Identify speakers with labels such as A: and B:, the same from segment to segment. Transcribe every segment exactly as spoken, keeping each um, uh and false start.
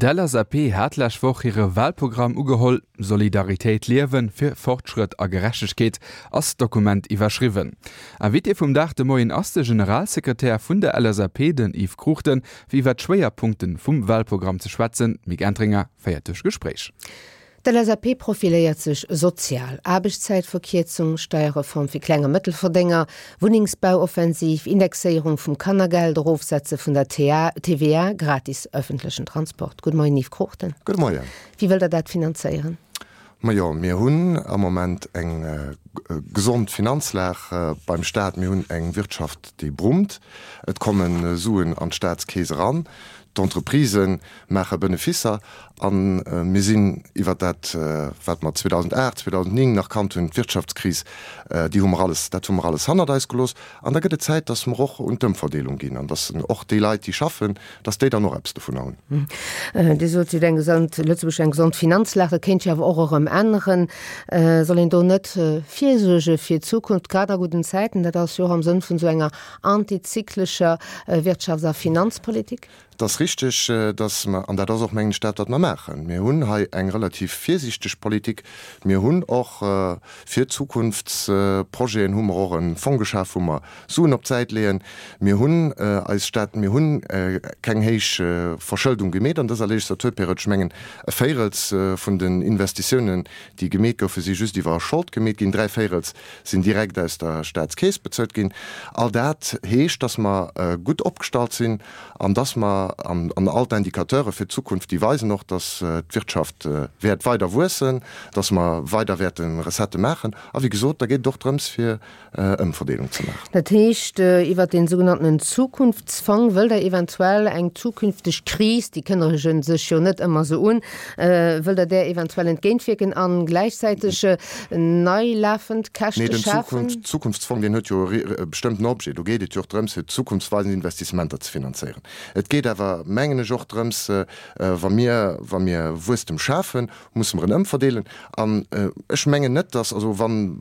A: D'LSAP hat lescht Woch hire Walprogramm ugeholl. Solidaritéit liewen, fir Fortschrëtt a Gerechtegkeet ass d'Dokument iwwerschriwwen. Invité vum Dag de Moien ass de Generalsekretär vun der LSAP, den Yves Cruchten, fir iwwer d'Schwéierpunkte vum Walprogramm ze schwätzen. D'Mick Entringer féiert duerch d'Gespréich.
B: D'LSAP profiléiert sech sozial, Aarbechtszäitverkierzung, Steierreform fir Kleng a Mëttelverdénger, Wunnengsbauoffensiv, Indexéierung vum Kannergeld, Erofsetze vun der TVA, gratis ëffentlechen Transport. Gudde Moien Yves Cruchten.
C: Gudde Moien.
B: Wéi wëllt Der dat finanzéieren?
C: Majo, mir hunn am Moment eng gesond Finanzlag beim Staat. Mir hunn eng Wirtschaft, déi brummt. Et komme Suen an d'Staatskeess eran. D'Entreprisë maache Benefisser a mir sinn iwwer dat, wat mer zweedausendacht, zweedausennéng nach kannt hunn, d'Wirtschaftskris, déi hu mer alles, dat hu mer alles hannert eis gelooss. An da gëtt et Zäit, datt mer och un d'Ëmverdeelung ginn an datt och déi Leit, déi schaffen, datt déi dann och eppes dovunner
B: hunn. Dir sot, Dir hutt eng gesond, Lëtzebuerg huet eng gesond Finanzlag. Dat kéint sech awer och erëm änneren. Soll een do net virsuerge fir d'Zukunft, grad a gudden Zäiten? Dat ass jo och am Sënn vun esou enger antizyklescher Wirtschafts a Finanzpolitik.
C: Et ass richteg, dass mer, an dat ass och, mengen ech, dat, wat mer maachen, mir hunn hei eng relativ virsiichteg Politik. Mir hunn och fir Zukunftsprojeten hu mer och e Fong geschaf, wou mer Suen op d'Säit leeën. Mir hunn eis Stat, mir hu keng héich Verschëldung gemeet an dëser Legislaturperiod. Ech mengen, e Véirels vun den Investitiounen, déi gemeet goufen, si just iwwer Schold gemeet ginn, dräi Véirels sinn direkt aus der Statskeess bezuelt ginn. All dat heescht, dass mer gutt opgestallt sinn an dass mer, an all d'Indicateure fir d'Zukunft, déi weisen och, dass d'Wirtschaft wäert weider wuessen, dass mer weider wäerte Recettë maachen. A wéi gesot, da geet et och drëms, fir Ëmverdeelung ze maachen.
B: Dat heescht, iwwert dee sougenanntenen Zukunftsfong wëllt Der eventuell eng zukünfteg Kris, déi kënnege sech jo net ëmmer esou un, wëllt Der där eventuell entgéintwierken a gläichzäiteg nei lafend Käschte schafen?
C: Nee, den Zukunftsfong, deen huet jo e bestëmmten Objet. Do geet et jo och drëms, fir zukunftsweisend Investissementer ze finanzéieren. Et geet awer, mengen ech, och drëms, wa mir, wa mir Wuesstem schafen, musse mer en ëmverdeelen. An ech mengen net, dass, also wann,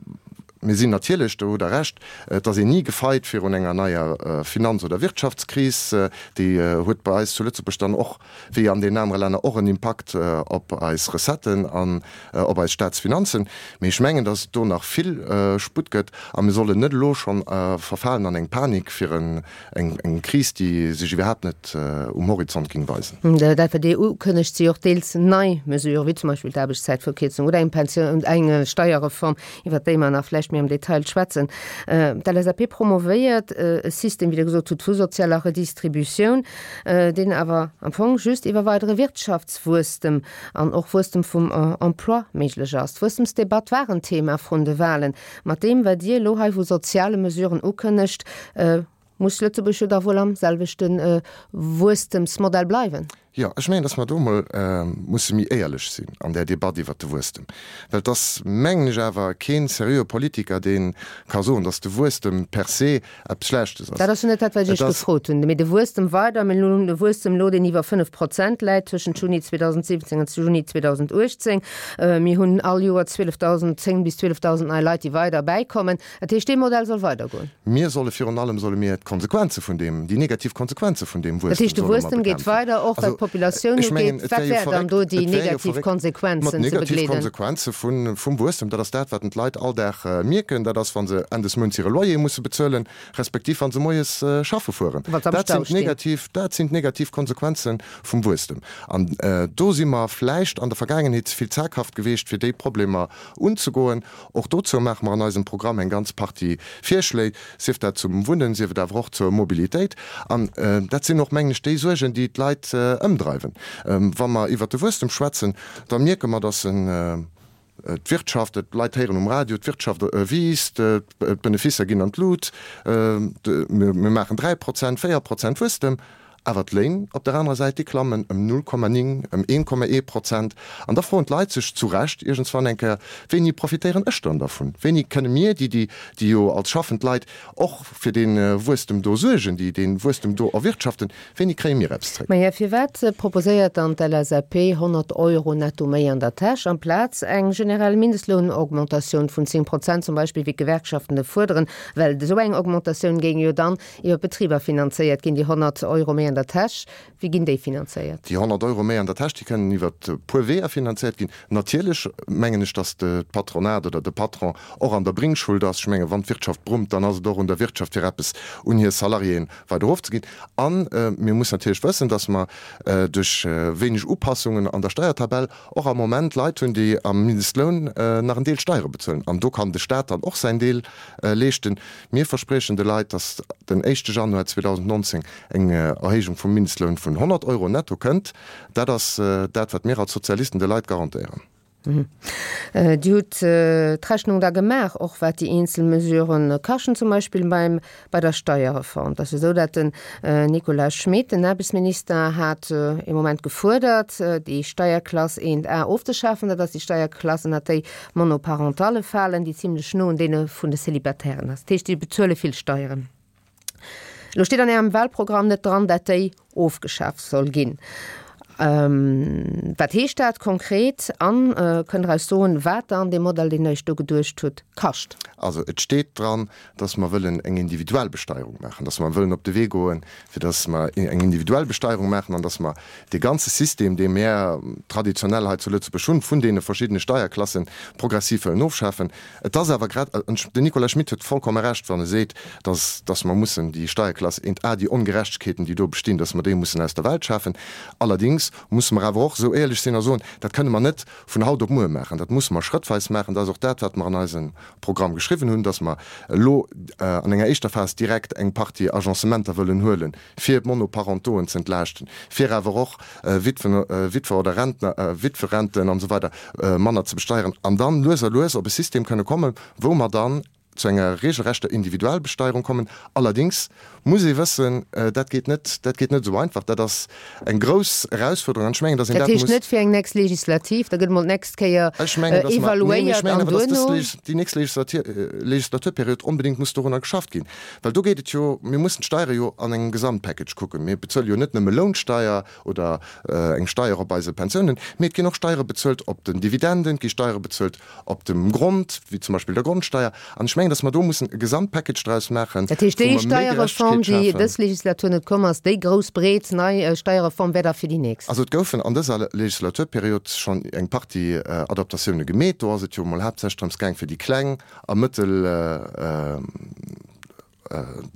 C: mir sinn natierlech, do hutt Der Recht, et ass een ni gefeit virun enger neier Finanz oder Wirtschaftskris. Déi huet bei eis zu Lëtzebuerg dann och, wéi an deenen anere Länner, och en Impakt op eis Recetten an op eis Staatsfinanzen. Mee ech mengen, dass et do nach vill Sputt gëtt a mir sollen net elo schonn verfalen an eng Panik fir eng Kris, déi sech iwwerhaapt net um Horizont géing weisen.
B: Dat wat Dir ukënnegt, si och deels nei Mesuren, wéi zum Beispill d'Aarbechtszäitverkierzung oder eng Pensioun, eng Steierreform, iwwert déi mer nach vläicht méi am Detail schwätzen. D'LSAP promovéiert e System, wéi Der gesot hutt, vu sozialer Redistributioun, deen awer am Fong just iwwer weidere Wirtschaftswuesstem an och Wuesstem vum Emploi méiglech ass. D'Wuesstemsdebatt war en Thema vrun de Wahlen. Mat deem, wat Dir elo hei vu soziale Mesuren ukënnegt, muss Lëtzebuerg jo da wuel am selwechte Wuesstemsmodell bleiwen.
C: Jo, ech mengen, dass mer do emol musse méi éierlech sinn an där Debatt iwwert de Wuesstem. Well et ass, mengen ech, awer kee seriöe Politiker, dee ka soen, dass de Wuesstem per se eppes Schlechtes ass.
B: Dat ass jo net dat, wat ech Iech gefrot hunn. Mee de Wuesstem weider, mir hunn e Wuesstem elo, deen iwwer fënnef Prozent läit tëschent Juni zweedausendsiwwenzéng an Juni zweedausenduechtzéng. Mir hunn all Joer zwielefdausend, zéng bis zwielefdausend nei Leit, déi weider bäikommen. Dat heescht, dee Modell soll weidergoen.
C: Mir solle virun allem solle mir d'Konsequenze vun deem, déi negativ Konsequenze vun deem
B: Wuesstem solle mer bekämpfen. Dat heescht, de Wuesstem geet weider, och wat d'Populatioun ugeet. Wat wären dann do déi negativ Konsequenzen ze begleeden?
C: D'negativ Konsequenze vum Wuesstem, dat ass dat, wat d'Leit all Dag mierken. Dat ass, wa se Enn des Mounts hire Loyer musse bezuelen, respektiv wa se moies schaffe fueren. Dat sinn d'negativ, dat sinn d'negativ Konsequenze vum Wuesstem. An do si mer vläicht an der Vergaangenheet ze vill zaghaft geweecht, fir déi Problemer unzegoen. Och dozou maache mer an eisem Programm eng ganz Partie Virschléi, sief dat zum Wunnen, sief et awer och zur Mobilitéit. An dat sinn och, mengen ech, déi Suergen, déi d'Leit ëmdreiwen. Wa mer iwwert de Wuesstem schwätzen, da mierke mer, dass en d'Wirtschaft, d'Leit héieren um Radio, d'Wirtschaft wiisst, d'Beneficer ginn an d'Lut, mir maachen dräi Prozent, véier Prozent Wuesstem. Awer d'Léin op der anerer Säit, déi klammen ëm null Komma ning, ëm een Komma ee Prozent. An da froen d'Leit sech zu Recht iergendswann eng Kéier, Wéini profitéieren ech dann dervun? Wéini kënne mir, déi, déi, déi jo als schaffend Leit och fir dee Wuesstem do suergen, déi dee Wuesstem do erwirtschaften, wéini kréie mir eppes zréck?
B: Maja, firwat proposéiert dann d'LSAP honnert Euro netto méi an der Täsch, amplaz eng generell Mindestlounaugmentatioun vun zéng Prozent zum Beispill, wéi d'Gewerkschaften e fuerderen? Well esou eng Augmentatioun géing jo dann iwwer d'Betriber finanzéiert ginn, déi honnert Euro méi an an der Täsch, wéi ginn déi finanzéiert?
C: Déi honnert Euro méi an der Täsch, déi kënnen iwwer e puer Weeër finanzéiert ginn. Natierlech mengen ech, datt d'Patronat oder de Patron och an der Bringschuld ass. Ech mengen, wann d'Wirtschaft brummt, dann ass et och un der Wirtschaft, fir eppes un hir Salariéen weider erofzeginn. A mir mussen natierlech wëssen, datt mer duerch wéineg Upassungen an der Steiertabell och am Moment Leit hunn, déi am Mindestloun nach en Deel Steiere bezuelen. An do kann de Stat dann och säin Deel leeschten. Mir verspriechen de Leit, datt den éischte Januar zweedausendnonzéng eng Erhéijung vum Mindestloun vun honnert Euro netto kënnt. Dat ass dat, wat mir als Sozialisten de Leit garantéieren.
B: Dir hutt d'Rechnung da gemaach, och wat déi eenzel Mesuren kaschten, zum Beispill beim, bei der Steierreform. Et ass jo esou, datt den Nicolas Schmit, den Aarbechtsminister, hat ee Moment gefuerdert, déi Steierklass eent A ofzeschafen. Dat ass déi Steierklass, ënnert déi Monoparentalle falen, déi zimlech no un deene vun de Célibataires ass. Dat heescht, déi bezuele vill Steieren. Elo steet an Ärem Wahlprogramm net dran, dat déi ofgeschaf soll ginn. Wat heescht dat konkret? An kënnt Der eis soen, wat dann dee Modell, deen Der Iech do geduecht hutt, kascht?
C: Also et steet dran, dass mer wëllen eng individuell Besteierung maachen, dass mer wëllen op de Wee goen, fir dass mer eng individuell Besteierung maachen an dass mer dee ganze System, dee mer traditionell hei zu Lëtzebuerg hunn, vun deene verschiddene Steierklassen, progressiv wëllen ofschafen. Et ass awer grad, an den Nicolas Schmit huet vollkomme Recht, wann e seet, dass, dass mer mussen déi Steierklass eent A, déi Ongerechtegkeeten, déi do bestinn, dass mer déi mussen aus der Welt schafen. Allerdings musse mer awer och esou éierlech sinn a soen, dat kënne mer net vun haut op muer maachen, dat musse mer schrëttweis maachen. Dat ass och dat, wat mer an eisem Programm geschriwwen hunn, dass mer elo an enger éischter Phas direkt eng Partie Agencementer wëllen huelen, fir d'Monoparentoen ze entlaaschten, fir awer och Witwen, Witwer oder Rentner, Witwerenten an esou weider manner ze besteieren an dann lues a lues op e System kënne kommen, wou mer dann zu enger regelrechter Individualbesteierung kommen. Allerdings muss ee wëssen, dat geet net, dat geet net esou einfach. Dat ass eng grouss Erausfuerderung an ech mengen, datt een
B: Dat
C: dat
B: heescht
C: muss.
B: net fir eng nächst Legislativ, da gëtt emol d'nächst Kéier
C: Ech mengen, datt mer, neen, ech
B: evaluéiert
C: mengen
B: an
C: awer, datt dës
B: duerno.
C: Legis, déi nächst Legislatir, Legislaturperiod onbedéngt muss dorunner geschafft ginn. Well do geet et jo, mir mussen d'Steiere jo an engem Gesamtpackage kucken. Mir bezuele jo net nëmme Lounsteier oder eng Steier op eise Pensiounen, mee et ginn och Steiere bezuelt op den Dividenden, et gi Steiere bezuelt op dem Grond, wéi zum Beispill der Grondsteier. An ech mengen, datt mer do mussen e Gesamtpackage draus maachen,
B: Dat heescht,
C: wou
B: déi
C: mer méi
B: Steierreform,
C: Gerechtegkeet
B: déi
C: schafen.
B: dës Legislatur net komm ass, déi grouss, breet nei Steierreform wär da fir déi nächst?
C: Also et goufen an dëser Legislaturperiod schonn eng Partie Adaptatioune gemeet. Do ass et jo emol haaptsächlech drëms gaang, fir déi kleng a mëttel,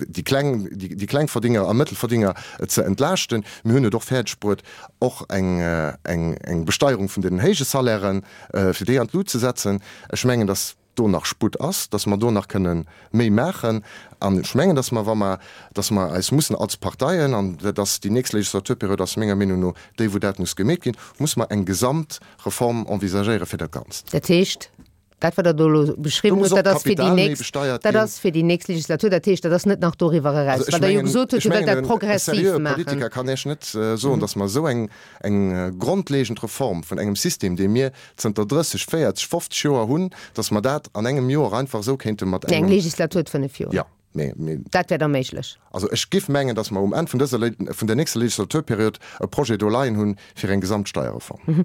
C: déi kleng, déi Klengverdinger a Mëttelverdinger ze entlaaschten. Mir hunn et och fäerdeg bruet, och eng, eng, eng Besteierung vun deenen héije Salairen, fir déi an d'Lut ze setzen. Ech mengen, datt do nach Sputt ass, datt mer do nach kënne méi maachen. An ech mengen, datt mer, wa mer, datt mer eis mussen als Parteien, an dat ass déi nächst Legislaturperiod ass menger Meenung no déi, wou dat muss gemeet ginn, musse mer eng Gesamtreform envisagéiere fir dat Ganzt.
B: Dat heescht, dat, wat Der do elo
C: Do
B: beschriwwen
C: muss
B: hutt,
C: och
B: dat ass fir déi
C: d'Kapital méi
B: nächst,
C: besteiert
B: dat
C: ginn.
B: ass fir déi nächst Legislatur. Dat heescht, dat ass net nach doriwwer eraus,
C: Also ech
B: well Der jo
C: mengen,
B: gesot hutt,
C: ech
B: Dir wëllt
C: mengen,
B: dat
C: en
B: progressiv
C: seriöe
B: maachen.
C: Politiker kann Iech net soen, datt mer esou eng, eng grondlegend Reform vun engem System, dee mir zënter drësseg, véierzeg, fofzeg Joer hunn, datt mer dat an engem Joer einfach esou kéinte mat
B: Nee, eng
C: engem.
B: Legislatur huet fënnef Joer.
C: Jo, mee, mee.
B: Dat wär da méiglech.
C: Also ech giff mengen, datt mer um Enn vun dëser, vun der nächster Legislaturperiod e Projet do leien hunn fir eng Gesamtsteierreform.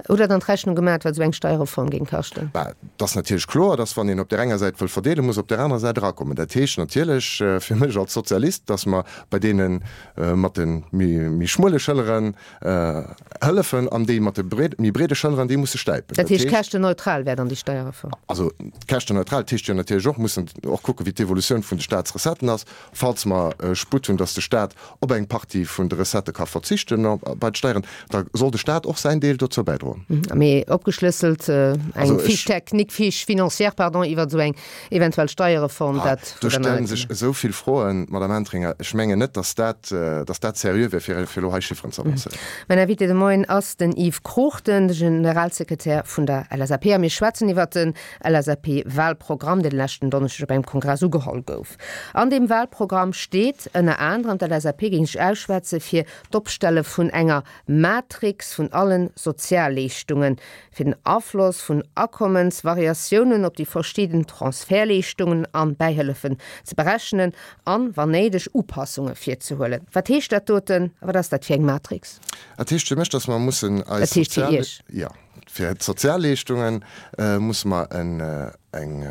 B: Hutt Der dann d'Rechnung gemaat, wat esou eng Steierreform géing kaschten?
C: Bah, et ass natierlech kloer, datt wann een op där enger Säit wëll verdeelen, muss op där anerer Säit erakommen. Dat heescht natierlech fir mech als Sozialist, datt mer bei deene mat de méi, méi schmuele Schëlleren hëllefen an déi mat de méi breede Schëlleren, déi musse stäipen.
B: Dat heescht, käschtenneutral wär dann déi Steierreform?
C: Also käschtenneutral, dat heescht jo natierlech och, mussen och kucken, wéi d'Evolutioun vun de Staatsrecetten ass. Falls mer Sputt hunn, datt de Staat op eng Partie vun de Recettë ka verzichten bei de Steieren, da soll de Staat och säin Deel dozou bäidroen.
B: Mee opgeschlësselt eng Fiche technique, Fiche financière, pardon, iwwer esou eng eventuell Steierreform, dat
C: Do stelle sech esou vill Froen, Madame Entringer. Ech mengen net, datt dat, datt dat seriö wär, fir elo hei Chifferen ze avancéieren.
B: Mäin Invité de Moien ass den Yves Cruchten, de Generalsekretär vun der L S A P. A mir schwätzen iwwer den L S A P-Wahlprogramm, deen de leschten Donneschdeg op engem Kongress ugeholl gouf. An deem Wahlprogramm steet ënner anerem, d'L S A P géing sech ausschwätze fir d'Opstelle vun enger Matrix vun allen Sozialleeschtungen, fir den Afloss vun Akommensvariatiounen op déi verschidden Transfertleeschtungen an Bäihëllefen ze berechnen an, wann néideg, Upassunge virzehuelen. Wat heescht dat doten a wat ass dat fir eng Matrix?
C: Dat heescht fir mech, dass mer mussen eis
B: Dat heescht fir
C: Sozial,
B: Iech?
C: jo, fir d'Sozialleeschtungen musse mer en, eng,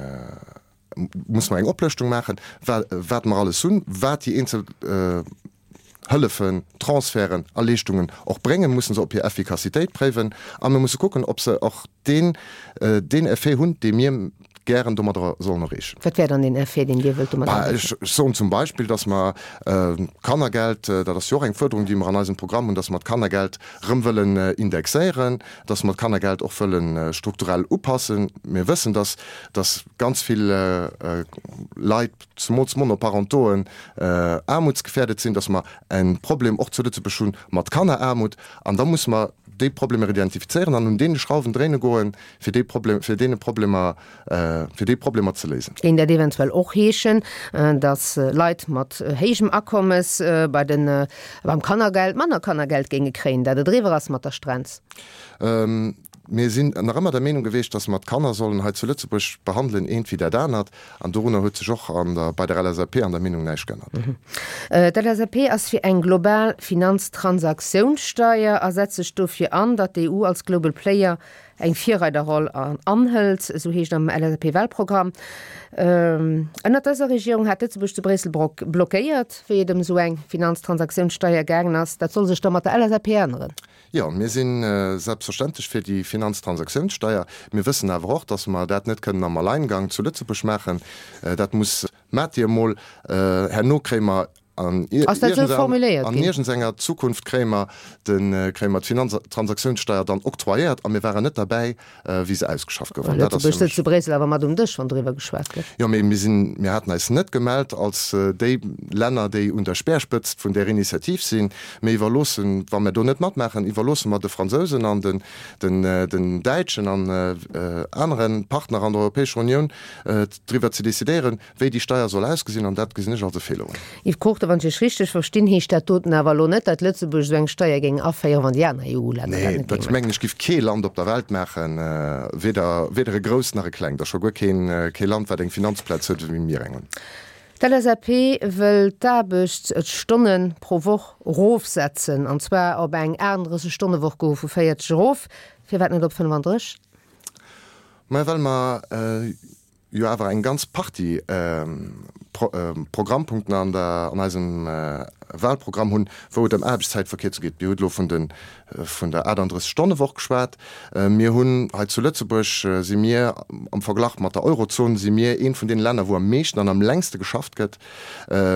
C: musse mer eng Oplëschtung maachen, wat mer alles hunn, wat déi eenzel Hëllefen, Transferten a Leeschtungen och bréngen, musse se op hir Effikassitéit préiwen a mir musse kucken, ob se och deen, deen Effet hunn, dee mir gären domadder sollen erreechen.
B: Wat wär dann deen Effet, deen Dir wëllt domadder
C: erreechen? Ech soen zum Beispill, dass mer d'Kannergeld, dat ass jo och eng Fuerderung, déi mer an eisem Programm hunn, dass mer d'Kannergeld erëm wëllen indexéieren, dass mer d'Kannergeld och wëlle strukturell upassen. Mir wëssen, dass, dass ganz vill Leit, zemools Monoparentoen, aarmutsgefährdet sinn, dass mer e Problem och zu Lëtzebuerg hu mat Kanneraarmut. An da musse mer déi Problemer identifizéieren an un deene Schrauwen dréine goen, fir déi Problem, fir deene Problemer, fir déi Problemer ze léisen.
B: Géing dat eventuell och heeschen, dass Leit mat héijem Akommes bei den, beim Kannergeld manner Kannergeld géinge kréien, dat et eriwwer ass mat der Strenz?
C: Mir sinn nach ëmmer der Meenung gewiescht, dass mer d'Kanner sollen hei zu Lëtzebuerg behandelen, eent wéi dat anert. An dorunner huet sech och an der, bei der LSAP an der Meenung näischt geännert.
B: D'LSAP ass fir eng global Finanztransaktiounssteier a setzt sech dofir an, datt d'EU als Global Player eng Virreiderroll anhëlt, esou heescht am LSAP-Wahlprogramm. Ënnert dëser Regierung hat Lëtzebuerg zu Bréissel blockéiert, wéi et ëm esou eng Finanztransaktiounssteier gaangen ass. Dat soll sech da mat der LSAP änneren?
C: Jo, mir si selbstverständlech fir déi Finanztransaktiounssteier. Mir wëssen awer och, dass mer dat net kënnen am Alleingang zu Lëtzebuerg maachen. Dat muss, maacht Dir emol, herno kréie mer an iergendsenger Zukunft kréie mer d'Finanztransaktiounssteier dann octroyéiert a mir waren net derbäi, wéi se ausgeschafft gouf.
B: Lëtzebuerg sëtzt zu Bréissel awer mat um Dësch, wann doriwwer geschwat gëtt.
C: Jo, mee mir sinn, mir haten eis net gemellt als déi Länner, déi un der Speerspëtzt vun där Initiativ sinn. Mir iwwerloossen, wa mir do net matmaachen, iwwerloosse mer de Fransousen an den, den, den Däitschen an anere Partner an der Europäescher Unioun, driwwer ze decidéieren, wéi déi Steier soll ausgesinn. An dat gesinn ech als e Feeler un.
B: Yves Cruchten, Wann ech Iech richteg verstinn, heescht dat doten awer elo net, datt Lëtzebuerg esou eng Steier géing aféieren, wann déi aner
C: EU-Länner dat net géinge maachen. Nee, dat mengen ech giff kee Land op der Welt maachen, weder, weder e grousst nach e klengt, a scho guer keen, kee Land, wat eng Finanzplaz huet, wéi mir eng hunn.
B: D'LSAP wëll d'Aarbechtsstonne pro Woch erofsetzen, an zwar op eng aachtenddrësseg-Stonne-Woch goe vu véierzeg erof. Firwat net op fënnefandrësseg?
C: Mä well mer jo awer eng ganz Partie Programmpunkten an der, an eisem Wahlprogramm hunn, wou et ëm Aarbechtszäitverkierzung geet. Dir hutt elo vun de, vun der aachtenddrësseg-Stonne-Woch geschwat. Mir hunn hei zu Lëtzebuerg, si mir am Verglach mat der Eurozon, si mir eent vun deene Länner, wou am meeschten an am längste geschafft gëtt.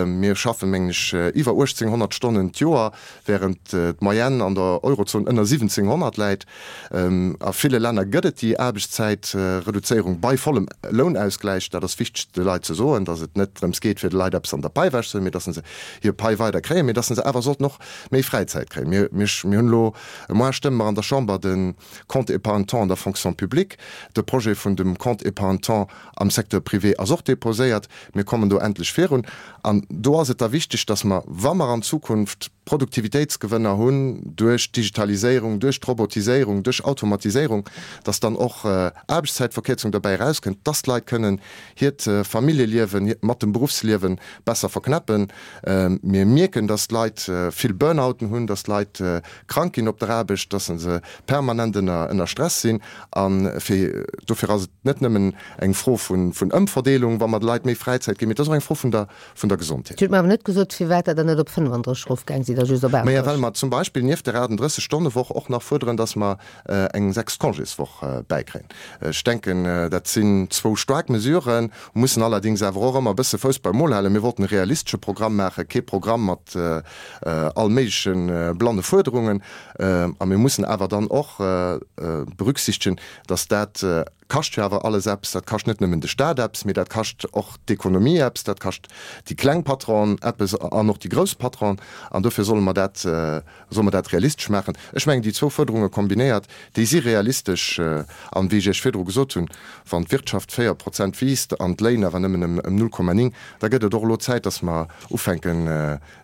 C: Mir schaffen, mengen ech, iwwer uechtzénghonnert Stonnen d'Joer, während d'Moyenne an der Eurozon ënner siwwenzénghonnert läit. A ville Länner gëtt et déi Aarbechtszäitreduzéierung bei vollem Lounausgläich. Dat ass wichteg de Leit ze soen, datt et net drëms geet, fir de Leit eppes an der Pai ewechzehuelen, mee datt se hir Pai weider kréien, mee datt se awer sollten och méi Fräizäit kréien. Mir, mir, mir hunn elo, moar stëmme mer an der Chamber de Compte épargne-temps an der Fonction publique. De Projet vun dem Compte épargne-temps am Secteur privé ass och déposéiert. Mir kommen do endlech virun. An do ass et da wichteg, dass mer, wa mer an Zukunft Produktivitéitsgewënner hunn duerch d'Digitaliséierung, duerch d'Robotiséierung, duerch Automatiséierung, dass dann och Aarbechtszäitverkierzung derbäi erauskënnt, dass d'Leit kënnen hiert Familljeliewen mat dem Beruffsliewe besser verknäppen. Mir mierken, dass d'Leit vill Burnouten hunn, dass d'Leit krank ginn op der Aarbecht, dass se permanent ënner Stress sinn. A fir dofir ass et net nëmmen eng Fro vun Ëmverdeelung, wa mer de Leit méi Fräizäit ginn, mee et ass och eng Fro vun der vun der Gesondheet.
B: Dir hutt mer awer net gesot, firwat Der dann net op fënnefandrësseg erofgaang sidd a just op
C: Maja, well mer zum Beispill nieft der aachtenddrësseg-Stonne-Woch och nach fuerderen, dass mer eng sechst Congéswoch bäikréien. Ech denken, dat sinn zwou staark Mesuren, mussen allerdings awer och ëmmer e bësse Fouss beim Mol halen. Mir wollten e realistesche Programm maachen, kee Programm mat all méigleche blanne Fuerderungen. A mir mussen awer dann och berücksichtegen, dass dat kascht jo awer alles eppes. Dat kascht net nëmmen de Stat eppes, mee dat kascht och d'Ekonomie eppes, dat kascht déi kleng Patronen eppes an och déi grouss Patronen. An dofir solle mer dat, solle mer dat realistesch maachen. Ech mengen, déi zwou Fuerderunge kombinéiert, déi si realistesch. An, wéi ech Iech virdru gesot hunn, wann d'Wirtschaft véier Prozent wiisst an d'Léin awer nëmmen ëm null Komma néng, da gëtt et och elo Zäit, dass mer ufänken,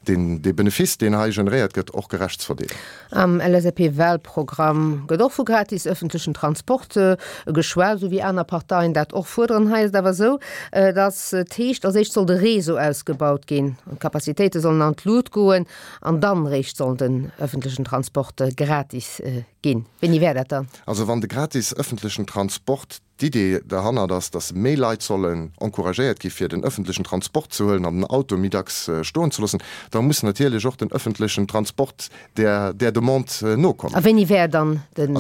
C: deen dee Benefiss, deen hei generéiert gëtt, och gerecht ze verdeelen.
B: Am LSAP-Wahlprogramm gëtt och vu gratis ëffentlechen Transport geschwat, esou wéi aner Parteien dat och fuerderen. Hei ass et awer esou, datt et heescht, als éischt soll de Réseau ausgebaut ginn an d'Capacitéite sollen an d'Lut goen an dann eréischt soll den ëffentlechen Transport gratis ginn. Wéini wär dat dann?
C: Also wann de gratis ëffentlechen Transport d'Idee derhannert ass, dass méi Leit sollen encouragéiert gi fir den öffentlechen Transport ze huelen an den Auto méi dacks stoen ze loossen, da muss natierlech och den öffentlechen Transport där där Demande nokommen.
B: A wéini wär dann den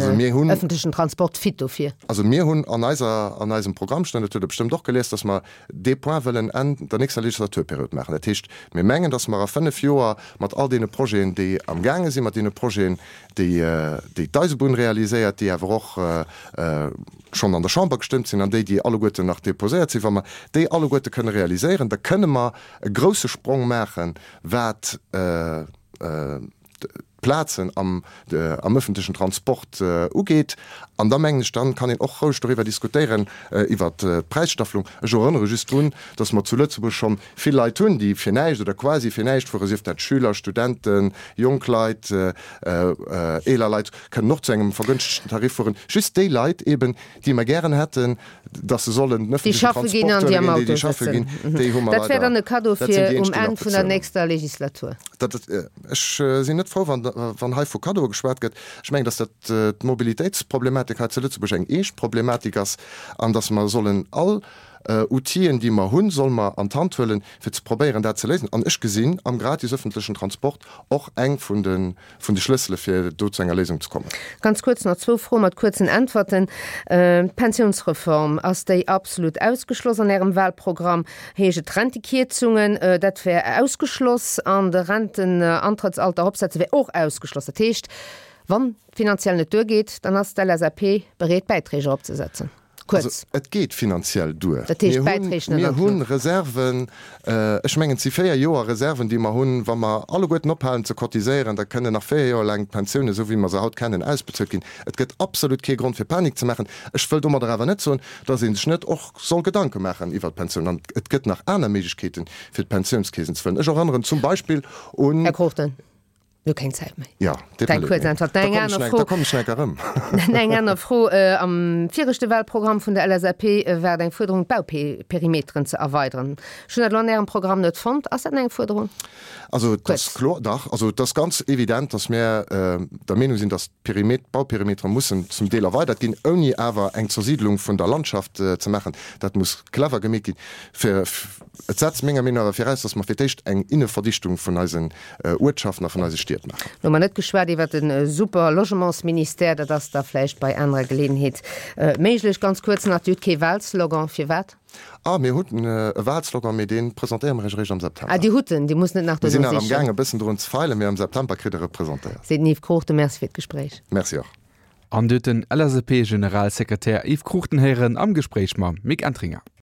B: öffentlechen Transport fit dofir?
C: Also mir hunn an eiser, an eisem Programm stoen, dat hutt Der bestëmmt och gelies, dass mer dee Point wëllen Enn der nächster Legislaturperiod maachen. Dat heescht, mir mengen, dass mer a fënnef Joer mat all deene Projeten, déi amgaange sinn, mat deene Projeten, déi déi d'Eisebunn realiséiert, déi awer och schonn an der Chamber gestëmmt sinn an déi, déi alleguerten nach déposéiert sinn, wa mer déi alleguerte kënne realiséieren, da kënne mer e grouse Sprong maachen, wat d'Plazen am ëffentlechen Transport ugeet. An da mengen ech, dann kann een och roueg doriwwer diskutéieren, iwwert d'Präisstaffelung. Ech erënnere just drun, dass mer zu Lëtzebuerg schonn vill Leit hunn, déi fir näischt oder quasi fir näischt fueren, sief dat Schüler, Studenten, jonk Leit, eeler Leit kënnen och zu engem vergënschtegten Tarif fueren. Just déi Leit eben, déi mer gären hätten, dass se sollen den
B: ëffentlechen Transport huelen ginn, déi, déi schaffe ginn, déi hu mer leider. Dat wär dann e Kaddo fir um Enn vun der nächster Legislatur.
C: Dat, ech sinn net frou, wann, wann hei vu Kaddoe geschwat gëtt. Ech mengen, dass dat d'Mobilitéitsproblematik hei zu Lëtzebuerg eng eescht Problematik ass an dass mer sollen all Outill'en, déi mer hunn, solle mer an d'Hand huelen, fir ze probéieren, dat ze léisen. An ech gesinn am gratis öffentlechen Transport och eng vun de, vun de Schlëssele fir do zu enger Léisung ze kommen.
B: Ganz kuerz nach zwou Froe mat kuerzen Äntwerten. D'Pensiounsreform, ass déi absolut ausgeschloss an Ärem Wahlprogramm? Heescht et Rentekierzungen, dat wär ausgeschloss, an de Rentenantrëttsalter eropsetze wär och ausgeschloss. Dat heescht, wann et finanziell net duergeet, dann ass d'LSAP bereet Bäiträg eropzesetzen?
C: Kuerz. Also, et geet finanziell duer. Dat heescht, d'Bäiträg net an d'Luucht. Mir hu Reserven, ech mengen, et si véier Joer Reserven, déi mer hunn. Wa mer alleguerten ophalen ze cotiséieren, da kënnen nach véier Joer laang d'Pensiounen, esou wéi mer se haut kennen, ausbezuelt ginn. Et gëtt absolut kee Grond fir Panik ze maachen. Ech wëll domadder awer net soen, dass ee sech net och soll Gedanke maachen iwwert d'Pensiounen. An et gëtt nach aner Méiglechkeeten, fir d'Pensiounskeesen ze fëllen. Ech erënneren zum Beispill un.
B: Här Cruchten. Mir hu keng Zäit méi.
C: Jo, deet mer leed.
B: Da kommen ech, da kommen ech nach erëm. Eng aner Fro, Am viregte Wahlprogramm vun der LSAP war et eng Fuerderung, d'Bauperimeteren ze erweideren. Ech hunn dat elo an Ärem Programm net fonnt. Ass dat nach eng Fuerderung?
C: Also et ass kloer, dach, also et ass ganz evident, datt mir der Meenung sinn, datt d'Perimet, d'Bauperimetere mussen zum Deel erweidert ginn, ouni awer eng Zersiidlung vun der Landschaft ze maachen. Dat muss clever gemeet ginn. Fir, et setzt menger Meenung no awer viraus, datt mer fir d'éischt eng Inneverdichtung vun eisen Uertschaften a vun eise Stied maachen.
B: Lo hu mer net geschwat iwwert de super Logementsministère, dat ass da vläicht bei anerer Geleeënheet méiglech. Ganz kuerz nach, Dir hutt kee Wahlslogan, firwat?
C: Ah, mir hunn e Wahlslogan, mee dee presentéiere mer Iech eréischt am September.
B: Ah, Dir hutt en, Dir musst net nach
C: dono sichen. Mir sinn nach amgaang e bëssen drun ze feilen, mee am September kritt Der e presentéiert.
B: Seet den Yves Cruchten. Merci fir d'Gespréich.
C: Merci och.
A: An Dir hutt den LSAP-Generalsekretär Yves Cruchten héieren am Gespréich mam Mick Entringer.